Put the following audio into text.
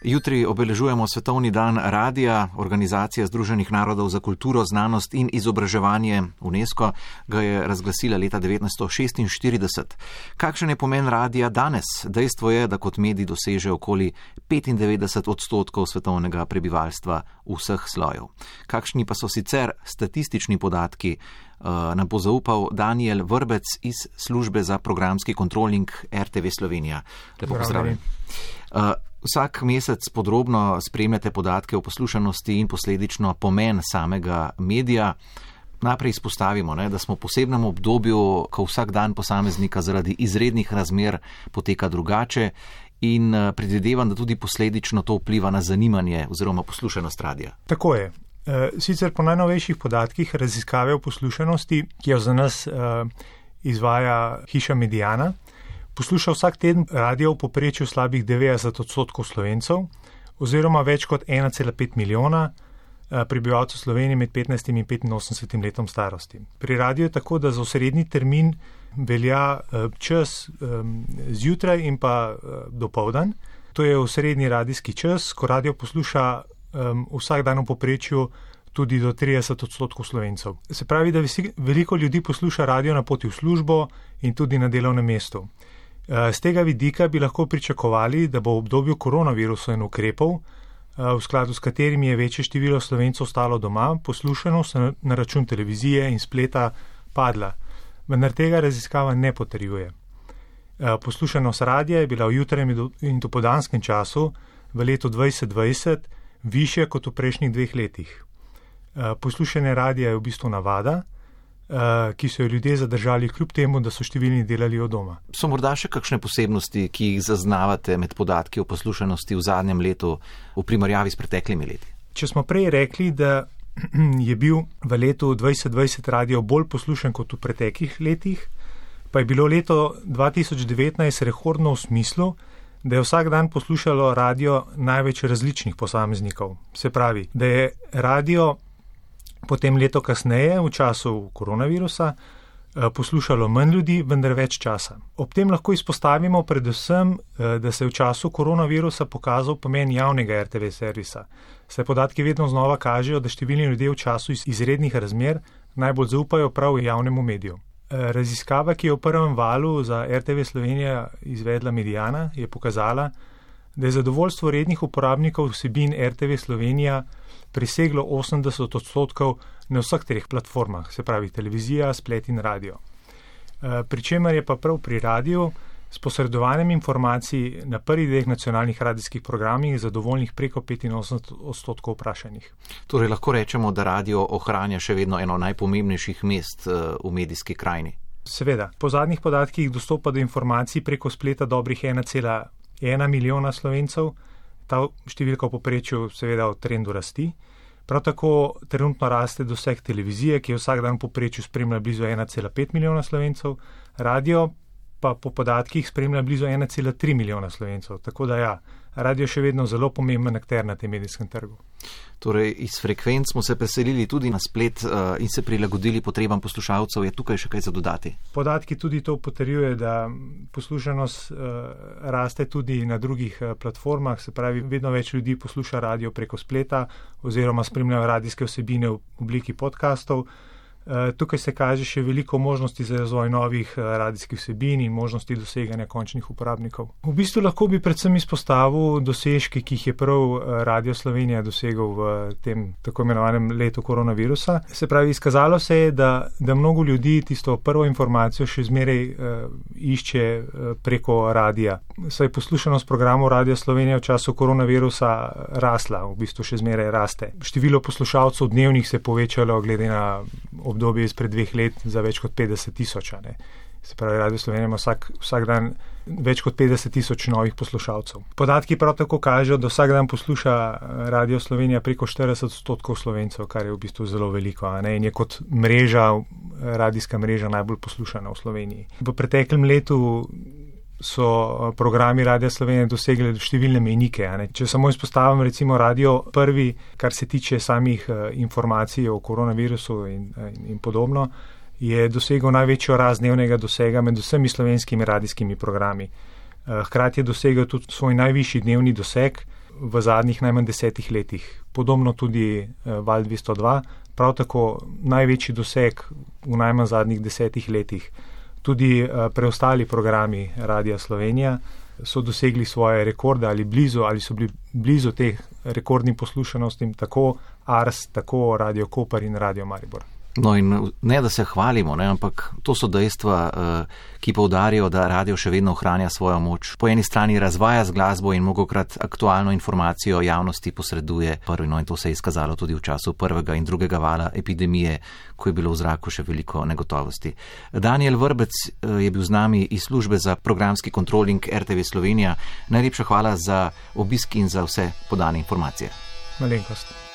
Jutri obeležujemo Svetovni dan radija. Organizacija Združenih narodov za kulturo, znanost in izobraževanje UNESCO ga je razglasila leta 1946. Kakšen je pomen radija danes? Dejstvo je, da kot medij doseže okoli 95% svetovnega prebivalstva vseh slojev. Kakšni pa so sicer statistični podatki, nam bo zaupal Daniel Vrbec iz službe za programski kontroling RTV Slovenija. Lepo pozdravljen. Vsak mesec podrobno spremljate podatke o poslušanosti in posledično pomen samega medija. Najprej izpostavimo, da smo v posebnem obdobju, ko vsak dan posameznika zaradi izrednih razmer poteka drugače in predvidevam, da tudi posledično to vpliva na zanimanje oziroma poslušanost radija. Tako je. Sicer po najnovejših podatkih raziskave o poslušanosti, ki jo za nas izvaja hiša Mediana, posluša vsak teden radio v povprečju slabih 90% Slovencev oziroma več kot 1,5 milijona prebivalcev Slovenije med 15 in 85 letom starosti. Pri radiju je tako, da za osrednji termin velja čas zjutraj in pa dopoldan. To je osrednji radijski čas, ko radio posluša vsak dan v povprečju tudi do 30% Slovencev. Se pravi, da veliko ljudi posluša radio na poti v službo in tudi na delovnem mestu. Z tega vidika bi lahko pričakovali, da bo v obdobju koronavirusa in ukrepov, v skladu s katerimi je večje število Slovencev ostalo doma, poslušanost na račun televizije in spleta padla. Vendar tega raziskava ne potrjuje. Poslušanost radija je bila v jutranjem in dopoldanskem času v letu 2020 višja kot v prejšnjih 2 letih. Poslušanje radija je v bistvu navada, ki so jo ljudje zadržali kljub temu, da so številni delali od doma. So morda še kakšne posebnosti, ki jih zaznavate med podatki o poslušanosti v zadnjem letu v primerjavi s preteklimi leti? Če smo prej rekli, da je bil v letu 2020 radio bolj poslušan kot v preteklih letih, pa je bilo leto 2019 rekordno v smislu, da je vsak dan poslušalo radio največ različnih posameznikov. Se pravi, da je radio potem leto kasneje, v času koronavirusa, poslušalo manj ljudi, vendar več časa. Ob tem lahko izpostavimo predvsem, da se je v času koronavirusa pokazal pomen javnega RTV servisa. Saj podatki vedno znova kažejo, da številni ljudje v času izrednih razmer najbolj zaupajo prav javnemu mediju. Raziskava, ki je v prvem valu za RTV Slovenija izvedla Mediana, je pokazala, da je zadovoljstvo rednih uporabnikov vsebin RTV Slovenija preseglo 80% na vseh 3 platformah, se pravi televizija, splet in radio. Pričemer je pa prav pri radiju s posredovanjem informacij na prvih 2 nacionalnih radijskih programih zadovoljnih preko 85% vprašanih. Torej lahko rečemo, da radio ohranja še vedno eno najpomembnejših mest v medijski krajini. Seveda. Po zadnjih podatkih dostopa do informacij preko spleta dobrih 1,1 milijona Slovencev. Ta številka v povprečju seveda v trendu rasti. Prav tako trenutno raste doseg televizije, ki je vsak dan v povprečju spremlja blizu 1,5 milijona Slovencev, radio pa po podatkih spremlja blizu 1,3 milijona Slovencev. Tako da ja, radio je še vedno zelo pomemben akter na tem medijskem trgu. Torej, iz frekvenc smo se preselili tudi na splet in se prilagodili potrebam poslušalcev. Je tukaj še kaj za dodati? Podatki tudi to potrjuje, da poslušanost raste tudi na drugih platformah, se pravi, vedno več ljudi posluša radio preko spleta oziroma spremljajo radijske vsebine v obliki podcastov. Tukaj se kaže še veliko možnosti za razvoj novih radijskih vsebin in možnosti doseganja končnih uporabnikov. V bistvu lahko bi predvsem izpostavil dosežke, ki jih je prav Radio Slovenija dosegel v tem tako imenovanem letu koronavirusa. Se pravi, izkazalo se je, da mnogo ljudi tisto prvo informacijo še zmeraj išče preko radija. Saj poslušanost programov Radio Slovenija v času koronavirusa rasla, v bistvu še zmeraj raste. Število poslušalcev dnevnih se je povečalo glede na obdobje izpred 2 let za več kot 50 000. Se pravi, Radio Slovenija ima vsak dan več kot 50 000 novih poslušalcev. Podatki prav tako kažejo, da vsak dan posluša Radio Slovenija preko 40% Slovencev, kar je v bistvu zelo veliko, in je kot radijska mreža najbolj poslušana v Sloveniji. V preteklem letu so programi Radia Slovenija dosegli številne mejnike. Če samo izpostavim recimo Radio Prvi, kar se tiče samih informacij o koronavirusu in podobno, je dosegel največjo rast dnevnega dosega med vsemi slovenskimi radijskimi programi. Hkrati je dosegel tudi svoj najvišji dnevni doseg v zadnjih najmanj 10 letih. Podobno tudi Val 202, prav tako največji doseg v najmanj zadnjih 10 letih. Tudi preostali programi Radia Slovenija so dosegli svoje rekorde ali so bili blizu teh rekordnim poslušanostim, tako Ars, tako Radio Koper in Radio Maribor. No in ne, da se hvalimo, ne, ampak to so dejstva, ki poudarijo, da radio še vedno ohranja svojo moč. Po eni strani razvaja z glasbo in mnogokrat aktualno informacijo javnosti posreduje prvi, no in to se je izkazalo tudi v času prvega in drugega vala epidemije, ko je bilo v zraku še veliko negotovosti. Daniel Vrbec je bil z nami iz službe za programski kontroling RTV Slovenija. Najlepša hvala za obisk in za vse podane informacije. Malenkost.